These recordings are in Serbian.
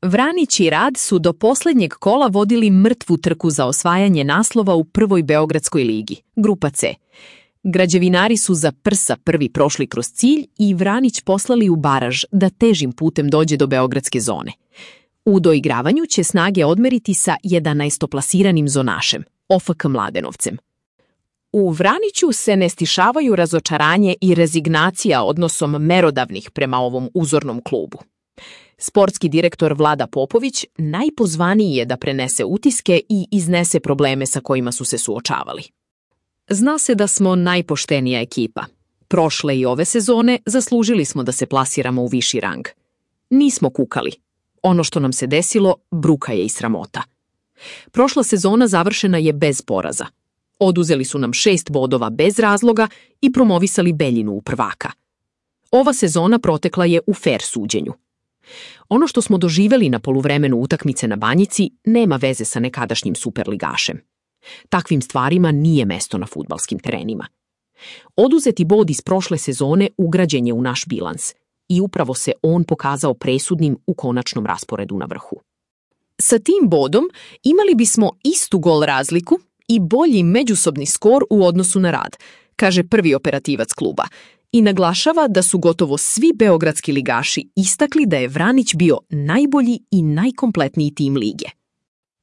Vranić i Rad su do posljednjeg kola vodili mrtvu trku za osvajanje naslova u prvoj Beogradskoj ligi, grupa C. Građevinari su za prsa prvi prošli kroz cilj i Vranić poslali u baraž da težim putem dođe do beogradske zone. U doigravanju će snage odmeriti sa 11. zonašem, OFK Mladenovcem. U Vraniću se ne stišavaju razočaranje i rezignacija odnosom merodavnih prema ovom uzornom klubu. Sportski direktor Vlada Popović najpozvaniji je da prenese utiske i iznese probleme sa kojima su se suočavali. Zna se da smo najpoštenija ekipa. Prošle i ove sezone zaslužili smo da se plasiramo u viši rang. Nismo kukali. Ono što nam se desilo, bruka je i sramota. Prošla sezona završena je bez poraza. Oduzeli su nam 6 bodova bez razloga i promovisali Beljinu u prvaka. Ova sezona protekla je u fer suđenju. Ono što smo doživeli na poluvremenu utakmice na Banjici nema veze sa nekadašnjim superligašem. Takvim stvarima nije mesto na fudbalskim terenima. Oduzeti bod iz prošle sezone ugrađen je u naš bilans i upravo se on pokazao presudnim u konačnom rasporedu na vrhu. Sa tim bodom imali bismo istu gol razliku i bolji međusobni skor u odnosu na Rad, kaže prvi operativac kluba, i naglašava da su gotovo svi beogradski ligaši istakli da je Vranić bio najbolji i najkompletniji tim lige.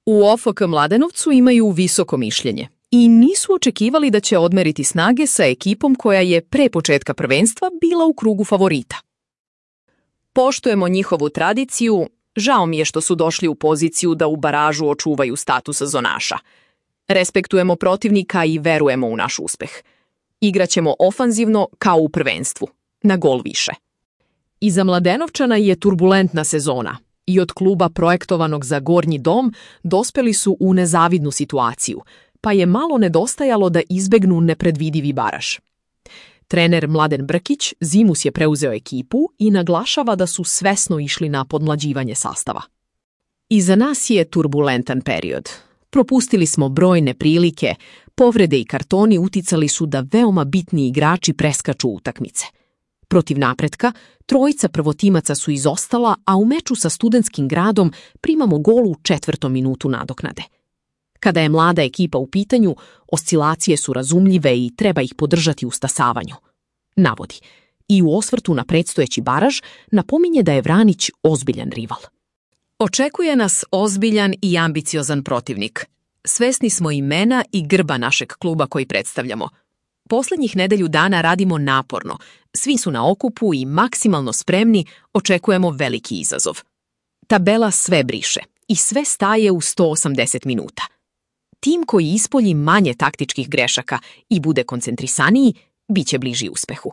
U OFK Mladenovcu imaju visoko mišljenje i nisu očekivali da će odmeriti snage sa ekipom koja je pre početka prvenstva bila u krugu favorita. Poštujemo njihovu tradiciju, žao mi je što su došli u poziciju da u baražu očuvaju status zonaša. Respektujemo protivnika i verujemo u naš uspeh. Igraćemo ofanzivno kao u prvenstvu, na gol više. Iza Mladenovčana je turbulentna sezona i od kluba projektovanog za gornji dom dospeli su u nezavidnu situaciju, pa je malo nedostajalo da izbegnu nepredvidivi baraž. Trener Mladen Brkić zimus je preuzeo ekipu i naglašava da su svesno išli na podmlađivanje sastava. Iza nas je turbulentan period. Propustili smo brojne prilike, povrede i kartoni uticali su da veoma bitni igrači preskaču utakmice. Protiv Napretka, trojica prvotimaca su izostala, a u meču sa Studentskim gradom primamo gol u 4. minutu nadoknade. Kada je mlada ekipa u pitanju, oscilacije su razumljive i treba ih podržati u stasavanju, navodi. I u osvrtu na predstojeći baraž napominje da je Vranić ozbiljan rival. Očekuje nas ozbiljan i ambiciozan protivnik. Svesni smo imena i grba našeg kluba koji predstavljamo. Poslednjih nedelju dana radimo naporno, svi su na okupu i maksimalno spremni, očekujemo veliki izazov. Tabela sve briše i sve staje u 180 minuta. Tim koji ispolji manje taktičkih grešaka i bude koncentrisaniji, bit će bliži uspehu.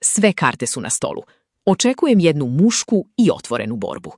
Sve karte su na stolu. Očekujem jednu mušku i otvorenu borbu.